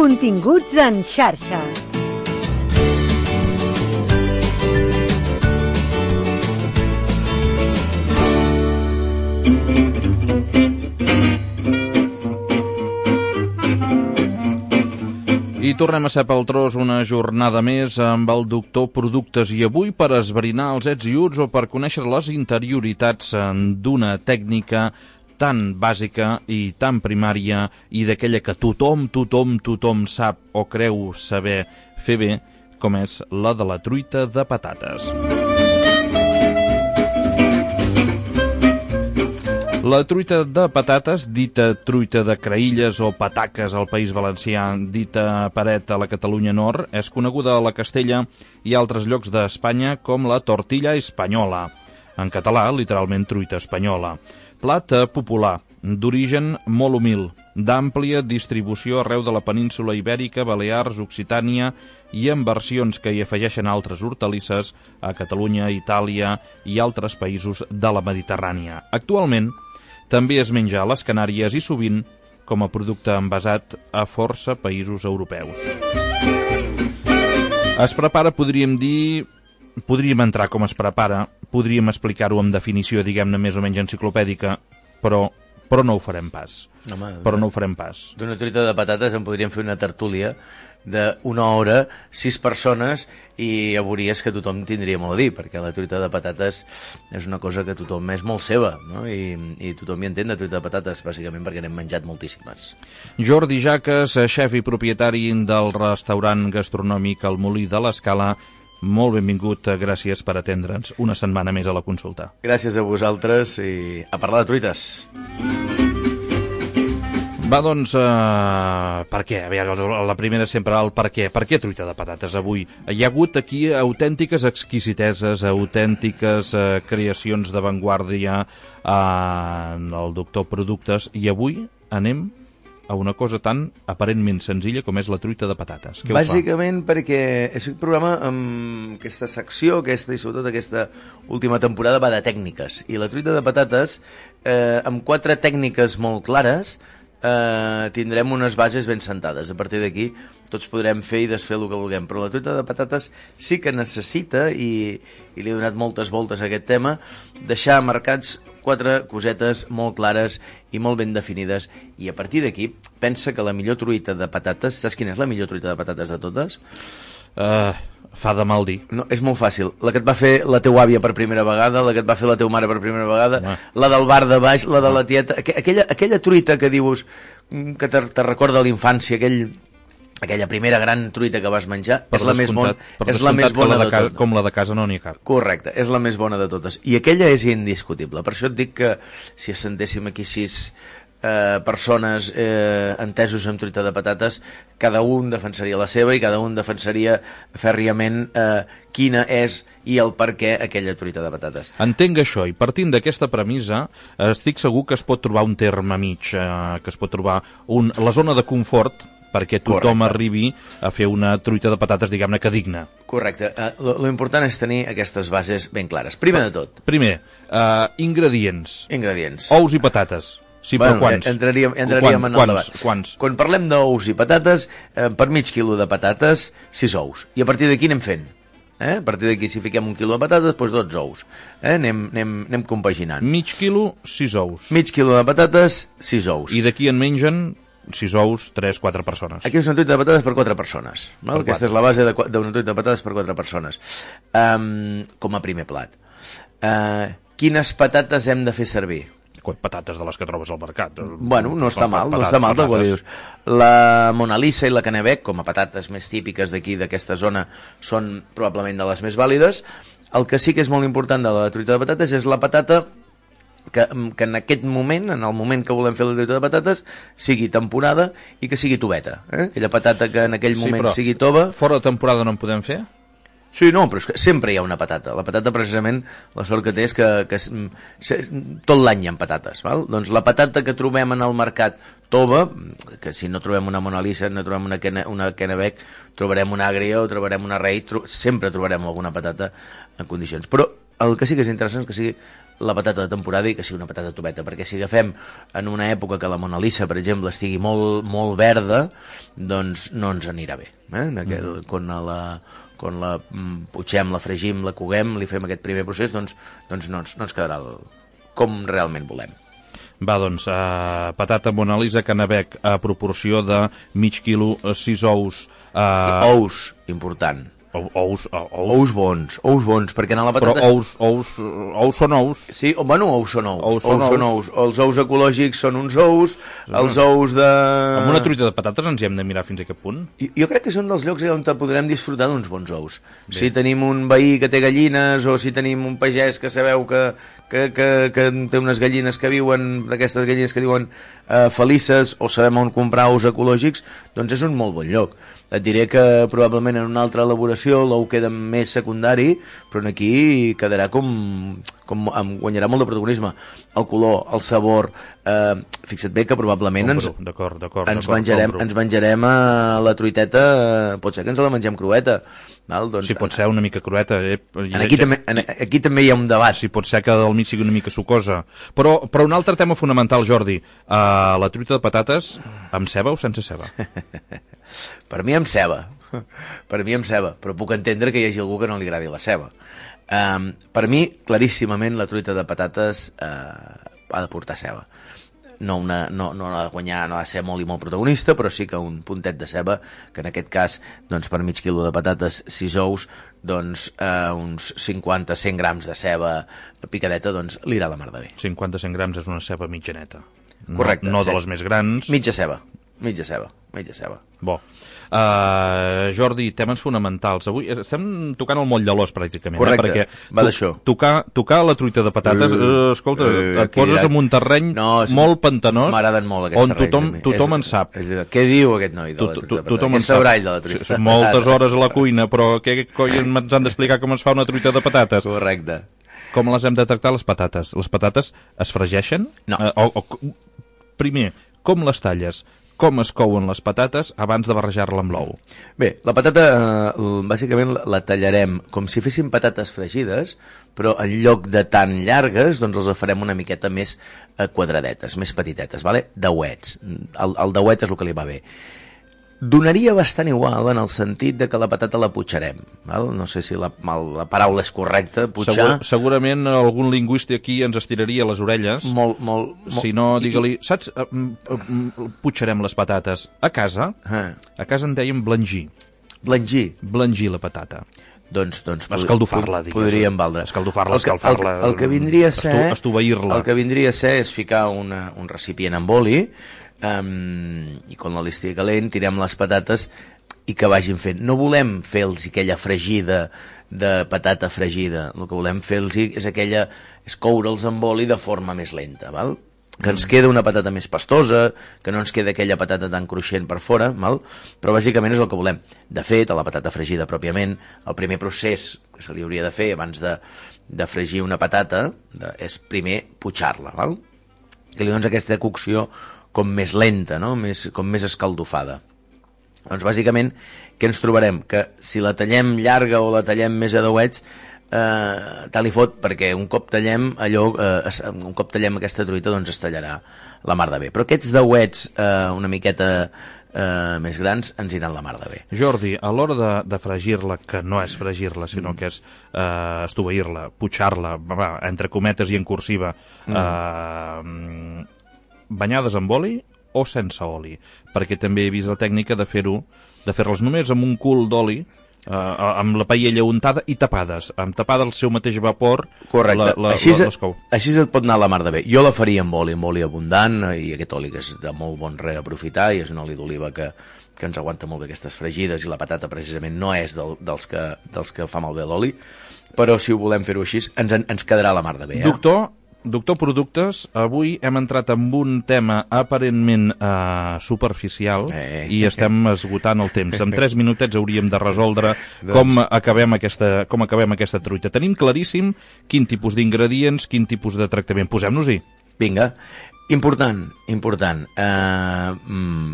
Continguts en xarxa. I tornem a ser pel tros una jornada més amb el doctor Productes i avui per esbrinar els ets i uts o per conèixer les interioritats d'una tècnica tan bàsica i tan primària i d'aquella que tothom sap o creu saber fer bé, com és la de la truita de patates. La truita de patates, dita truita de creïlles o pataques al País Valencià, dita paret a la Catalunya Nord, és coneguda a la Castella i altres llocs d'Espanya com la tortilla espanyola. En català, literalment truita espanyola. Plat popular, d'origen molt humil, d'àmplia distribució arreu de la península Ibèrica, Balears, Occitània i en versions que hi afegeixen altres hortalisses a Catalunya, Itàlia i altres països de la Mediterrània. Actualment, també es menja a les Canàries i sovint com a producte envasat a força països europeus. Es prepara, podríem entrar com es prepara, podríem explicar-ho amb definició, diguem-ne, més o menys enciclopèdica, però no ho farem pas. Però no ho farem pas. D'una truita de patates en podríem fer una tertúlia d'una hora, 6 persones, i ja veuries que tothom tindria molt a dir, perquè la truita de patates és una cosa que tothom és molt seva, no? I tothom hi entén de truita de patates, bàsicament perquè n'hem menjat moltíssimes. Jordi Jaques, xef i propietari del restaurant gastronòmic El Molí de l'Escala, molt benvingut, gràcies per atendre'ns una setmana més a la consulta. Gràcies a vosaltres i a parlar de truites. Va, doncs, per què? A veure, la primera sempre el per què. Per què truita de patates avui? Hi ha hagut aquí autèntiques exquisiteses, autèntiques creacions d'avantguàrdia en el doctor Productes, i avui anem a una cosa tan aparentment senzilla com és la truita de patates. Què Bàsicament perquè aquest programa, amb aquesta secció, i sobretot aquesta última temporada, va de tècniques. I la truita de patates, amb 4 tècniques molt clares, tindrem unes bases ben sentades. A partir d'aquí tots podrem fer i desfer el que vulguem, però la truita de patates sí que necessita, i li he donat moltes voltes a aquest tema, deixar marcats 4 cosetes molt clares i molt ben definides, i a partir d'aquí pensa que la millor truita de patates, saps quina és la millor truita de patates de totes? Fa de mal dir. No, és molt fàcil. La que et va fer la teua àvia per primera vegada, la que et va fer la teva mare per primera vegada, la del bar de baix, la de la tieta, aquella truita que dius que te recorda a l'infància, aquella primera gran truita que vas menjar, és la més bona de totes. Com la de casa no n'hi ha cap. Correcte, és la més bona de totes. I aquella és indiscutible. Per això et dic que si assentéssim aquí 6 persones entesos amb truita de patates, cada un defensaria la seva i cada un defensaria fèrriament quina és i el per què aquella truita de patates. Entenc això, i partint d'aquesta premissa estic segur que es pot trobar un terme mig, que es pot trobar la zona de confort perquè tothom arribi a fer una truita de patates, diguem-ne, que digna. Correcte. Lo important és tenir aquestes bases ben clares. Primer de tot. Ingredients. Ingredients. Ous i patates. Sí, però quants? Entraríem en el debat. Quants? Quan parlem d'ous i patates, per mig quilo de patates, 6 ous. I a partir d'aquí anem fent. A partir d'aquí, si fiquem 1 quilo de patates, doncs 12 ous. Anem compaginant. Mig quilo, 6 ous. Mig quilo de patates, 6 ous. I d'aquí en mengen 6 ous, 3-4 persones. Aquí és una truita de patates per 4 persones. Aquesta és la base d'una truita de patates per 4 persones. Com a primer plat. Quines patates hem de fer servir? Patates de les que trobes al mercat. Bueno, no està mal, tal qual dius. La Mona Lisa i la Kennebec, com a patates més típiques d'aquí, d'aquesta zona, són probablement de les més vàlides. El que sí que és molt important de la truita de patates és la patata que en aquest moment, en el moment que volem fer la truita de patates, sigui temporada i que sigui toveta. Aquella patata que en aquell moment sigui tova. Fora de temporada no en podem fer? Sí, no, però és que sempre hi ha una patata. La patata, precisament, la sort que té és que tot l'any hi ha patates. Val? Doncs la patata que trobem en el mercat tova, que si no trobem una Mona Lisa, no trobem una Kennebec, trobarem una Agria o trobarem una Rei, sempre trobarem alguna patata en condicions. Però el que sí que és interessant és que sigui la patata de temporada i que sigui una patata tubeta, perquè si agafem en una època que la Mona Lisa, per exemple, estigui molt, molt verda, doncs no ens anirà bé. Quan la putxem, la fregim, la coguem, li fem aquest primer procés, doncs no ens quedarà com realment volem. Va, doncs, patata Mona Lisa Canabec a proporció de mig quilo, 6 ous. Ous, important. Ous bons, perquè en la patata... Però ous són ous. Sí, bueno, ous són ous. Els ous ecològics són uns ous, els ous de... Amb una truita de patates ens hi hem de mirar fins a aquest punt? Jo crec que són dels llocs on podrem disfrutar d'uns bons ous. Bé. Si tenim un veí que té gallines, o si tenim un pagès que sabeu que té unes gallines que viuen, d'aquestes gallines que diuen felices, o sabem on comprar ous ecològics, doncs és un molt bon lloc. Et diré que probablement en una altra elaboració l'ou queda més secundari, però aquí quedarà guanyarà molt de protagonisme. El color, el sabor... fixa't bé que probablement ens menjarem la truiteta, pot ser que ens la mengem crueta. Val? Doncs, sí, pot ser una mica crueta. Aquí també hi ha un debat. Sí, pot ser que al mig sigui una mica sucosa. Però un altre tema fonamental, Jordi, la truita de patates amb ceba o sense ceba? Per mi amb ceba, però puc entendre que hi hagi algú que no li agradi la ceba. Per mi, claríssimament, la truita de patates ha de portar ceba. No ha de guanyar, no ha de ser molt i molt protagonista, però sí que un puntet de ceba, que en aquest cas, doncs, per mig quilo de patates, 6 ous, doncs uns 50-100 grams de ceba picadeta, doncs li irà la mar de bé. 50-100 grams és una ceba mitjaneta. Correcte. No de les més grans. Mitja ceba. Bo. Jordi, temes fonamentals. Avui estem tocant el moll de l'os, pràcticament. Correcte, perquè va d'això. Tocar la truita de patates, escolta, et poses en un terreny molt pantanós, m'agraden molt aquests terrenys, on tothom en sap. Què diu aquest noi de la truita de patates? Tothom en sap. Són moltes hores a la cuina, però què coi ens han d'explicar com es fa una truita de patates? Correcte. Com les hem de tractar, les patates? Les patates es fregeixen? No. Primer, com les talles? Com es couen les patates abans de barrejar-la amb l'ou? Bé, la patata bàsicament la tallarem com si féssim patates fregides, però en lloc de tan llargues, doncs les farem una miqueta més quadradetes, més petitetes, vale? Dauets. El dauet és el que li va bé. Donaria bastant igual en el sentit de que la patata la putxarem. Val? No sé si la paraula és correcta, putxar... Segurament algun lingüista aquí ens estiraria les orelles. Si no, digue-li... Saps? Putxarem les patates. A casa en dèiem blangir. Blangir la patata. Doncs escaldofar-la, digues. Podríem valdre. Escalfar-la. El que vindria a ser... Estoveir-la. El que vindria a ser és ficar un recipient amb oli, i quan l'oli estigui calent tirem les patates i que vagin fent. No volem fer-los aquella fregida de patata fregida, el que volem fer-los és coure'ls amb oli de forma més lenta, val? Que ens queda una patata més pastosa, que no ens queda aquella patata tan cruixent per fora, val? Però bàsicament és el que volem. De fet, a la patata fregida pròpiament, el primer procés que se li hauria de fer abans de fregir una patata és primer putxar-la, val? Que li dones aquesta cocció com més lenta, no? Com més escaldofada. Doncs bàsicament, què ens trobarem? Que si la tallem llarga o la tallem més a dauets, tal i fot, perquè un cop tallem aquesta truita, doncs es tallarà la mar de bé. Però aquests dauets una miqueta més grans ens iran la mar de bé. Jordi, a l'hora de fregir-la, que no és fregir-la, sinó que és estoveir-la, putxar-la, entre cometes i en cursiva, banyades amb oli o sense oli? Perquè també he vist la tècnica de fer-les només amb un cul d'oli, amb la paella untada i tapades, amb tapada el seu mateix vapor. Correcte, així et pot anar la mar de bé. Jo la faria amb oli abundant, i aquest oli que és de molt bon reaprofitar, i és un oli d'oliva que ens aguanta molt bé aquestes fregides, i la patata precisament no és dels que fa malbé l'oli, però si ho volem fer-ho així ens quedarà la mar de bé. Doctor Productes, avui hem entrat en un tema aparentment superficial i estem esgotant el temps. En 3 minutets hauríem de resoldre com acabem aquesta truita. Tenim claríssim quin tipus d'ingredients, quin tipus de tractament. Posem-nos-hi. Vinga. Important.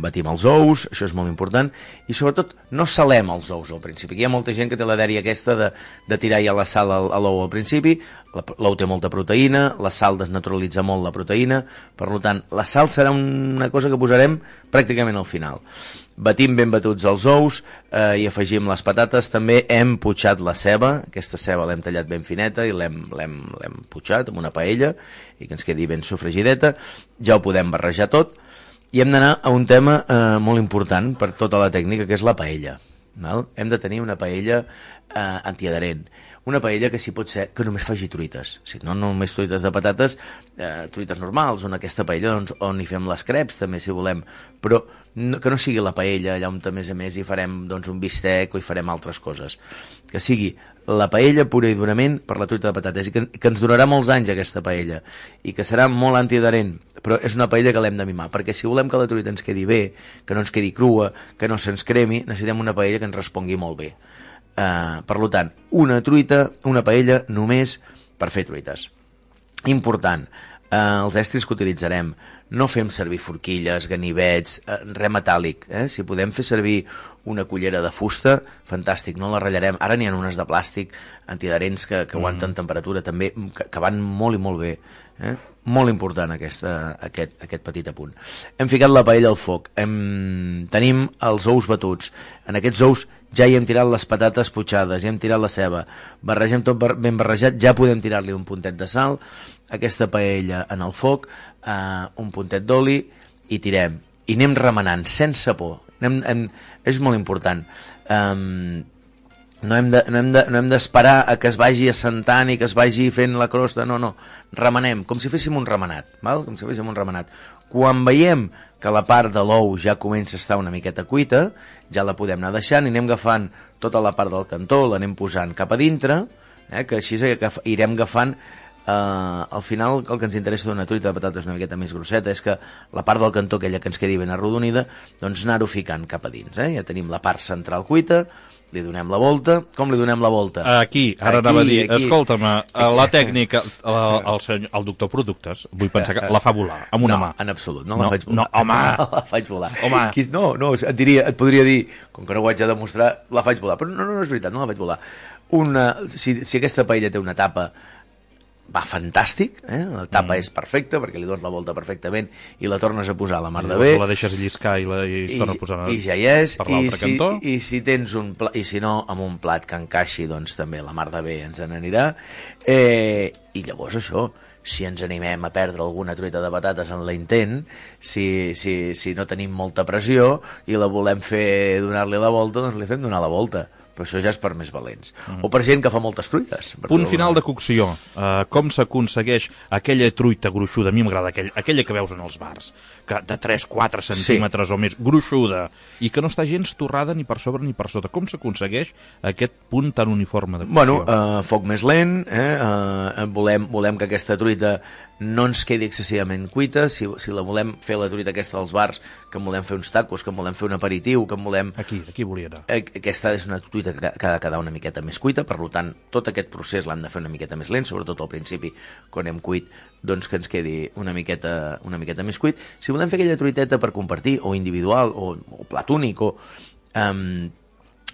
Batim els ous, això és molt important, i sobretot no salem els ous al principi, que hi ha molta gent que té la dèria aquesta de tirar ja la sal a l'ou al principi. L'ou té molta proteïna, la sal desnaturalitza molt la proteïna, per tant, la sal serà una cosa que posarem pràcticament al final. Batim ben batuts els ous i afegim les patates. També hem putxat la ceba. Aquesta ceba l'hem tallat ben fineta i l'hem putxat amb una paella i que ens quedi ben sofregideta. Ja ho podem barrejar tot i hem d'anar a un tema molt important per tota la tècnica, que és la paella. Hem de tenir una paella antiadherent. Una paella que si pot ser que només faci truites, si no només truites de patates, truites normals, on aquesta paella on hi fem les creps també si volem, però que no sigui la paella allà on a més hi farem un bistec o hi farem altres coses, que sigui la paella pura i durament per la truita de patates i que ens durarà molts anys aquesta paella i que serà molt antiadherent, però és una paella que l'hem de mimar, perquè si volem que la truita ens quedi bé, que no ens quedi crua, que no se'ns cremi, necessitem una paella que ens respongui molt bé. Per tant, una paella només per fer truites. Important, els estris que utilitzarem, no fem servir forquilles, ganivets, res metàl·lic. Si podem fer servir una cullera de fusta, fantàstic, no la ratllarem. Ara n'hi ha unes de plàstic antiadherents que aguanten temperatura també, que van molt i molt bé. Molt important aquest petit apunt. Hem ficat la paella al foc, tenim els ous batuts. En aquests ous ja hi hem tirat les patates putxades, ja hem tirat la ceba, barregem tot ben barrejat, ja podem tirar-li un puntet de sal, aquesta paella en el foc, un puntet d'oli i tirem. I anem remenant, sense por. És molt important. No hem d'esperar a que es vagi assentant i que es vagi fent la crosta, no. Remenem, com si féssim un remenat, val? Com si féssim un remenat. Quan veiem que la part de l'ou ja comença a estar una miqueta cuita, ja la podem anar deixant i anem agafant tota la part del cantó, l'anem posant cap a dintre, que així irem agafant. Al final el que ens interessa d'una truita de patates una miqueta més grosseta és que la part del cantó, aquella que ens quedi ben arrodonida, doncs anar-ho ficant cap a dins. Ja tenim la part central cuita, li donem la volta. Com li donem la volta? Anava a dir, escolta'm, la tècnica, el doctor Productes, vull pensar que la fa volar, amb una mà. No, en absolut, no la faig volar. No, home! No la faig volar. No, et podria dir, com que no ho haig de demostrar, la faig volar, però no és veritat, no la faig volar. Si aquesta paella té una tapa, va fantàstic, la tapa és perfecta perquè li dones la volta perfectament i la tornes a posar a la mar de bé. La deixes lliscar i es torna a posar i ja hi és, per l'altre cantó. I si tens i si no, amb un plat que encaixi, doncs també la mar de bé ens n'anirà. I llavors això, si ens animem a perdre alguna truita de patates en l'intent, si no tenim molta pressió i la volem fer donar-li la volta, doncs li fem donar la volta. Però això ja és per més valents. O per gent que fa moltes truites. Punt final de cocció. Com s'aconsegueix aquella truita gruixuda? A mi m'agrada aquella que veus en els bars, que de 3-4 centímetres o més, gruixuda, i que no està gens torrada ni per sobre ni per sota. Com s'aconsegueix aquest punt tan uniforme de cocció? Foc més lent, volem que aquesta truita no ens quedi excessivament cuita. Si la volem fer la truita aquesta dels bars, que en volem fer uns tacos, que en volem fer un aperitiu, que en volem... Aquí volia anar. Aquesta és una truita que ha de quedar una miqueta més cuita, per tant, tot aquest procés l'hem de fer una miqueta més lent, sobretot al principi, quan hem cuit, doncs que ens quedi una miqueta més cuit. Si volem fer aquella truiteta per compartir, o individual, o plat únic,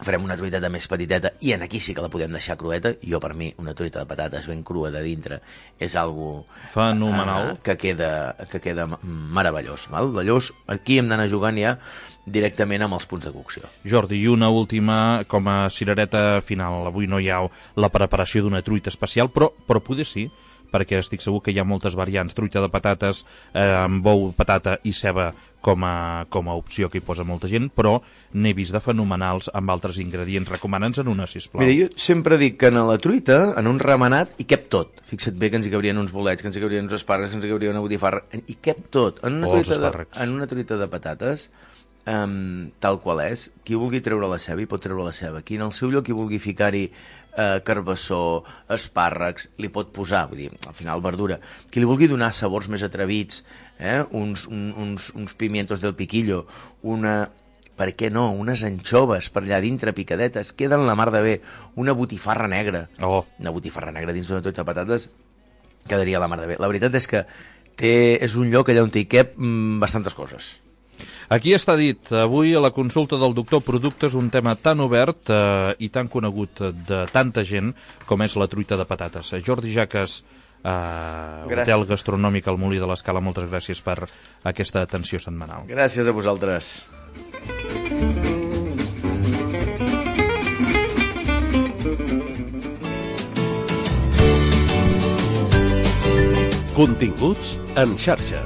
farem una truiteta més petiteta i en aquí sí que la podem deixar crueta. Jo, per mi, una truita de patates ben crua de dintre és algo fenomenal, que queda meravellós, val? Llavors, aquí hem d'anar jugant ja directament amb els punts de cocció. Jordi, i una última com a cirereta final. Avui no hi ha la preparació d'una truita especial, però poder sí, perquè estic segur que hi ha moltes variants. Truita de patates amb ou, patata i ceba com a opció que hi posa molta gent, però n'he vist de fenomenals amb altres ingredients. Recomana'ns en una, sisplau. Mira, jo sempre dic que en la truita, en un remenat, hi cap tot. Fixa't bé que ens hi cabrien uns bolets, que ens hi cabrien uns espàrrecs, que ens hi cauria una botifarra, hi cap tot. En una truita de patates, tal qual és, qui vulgui treure la ceba hi pot treure la ceba, qui en el seu lloc hi vulgui ficar-hi carbassó, espàrrecs, li pot posar, vull dir, al final verdura, qui li vulgui donar sabors més atrevits, uns pimientos del piquillo, per què no, unes anxoves per allà dintre picadetes, queden la mar de bé, una botifarra negra, una botifarra negra dins d'una truita de patates quedaria la mar de bé. La veritat és que és un lloc allà on hi cap bastantes coses. Aquí està dit, avui a la consulta del doctor Productes, un tema tan obert i tan conegut de tanta gent com és la truita de patates. Jordi Jaques, hotel gastronòmic al Molí de l'Escala, moltes gràcies per aquesta atenció setmanal. Gràcies a vosaltres. Continguts en xarxa.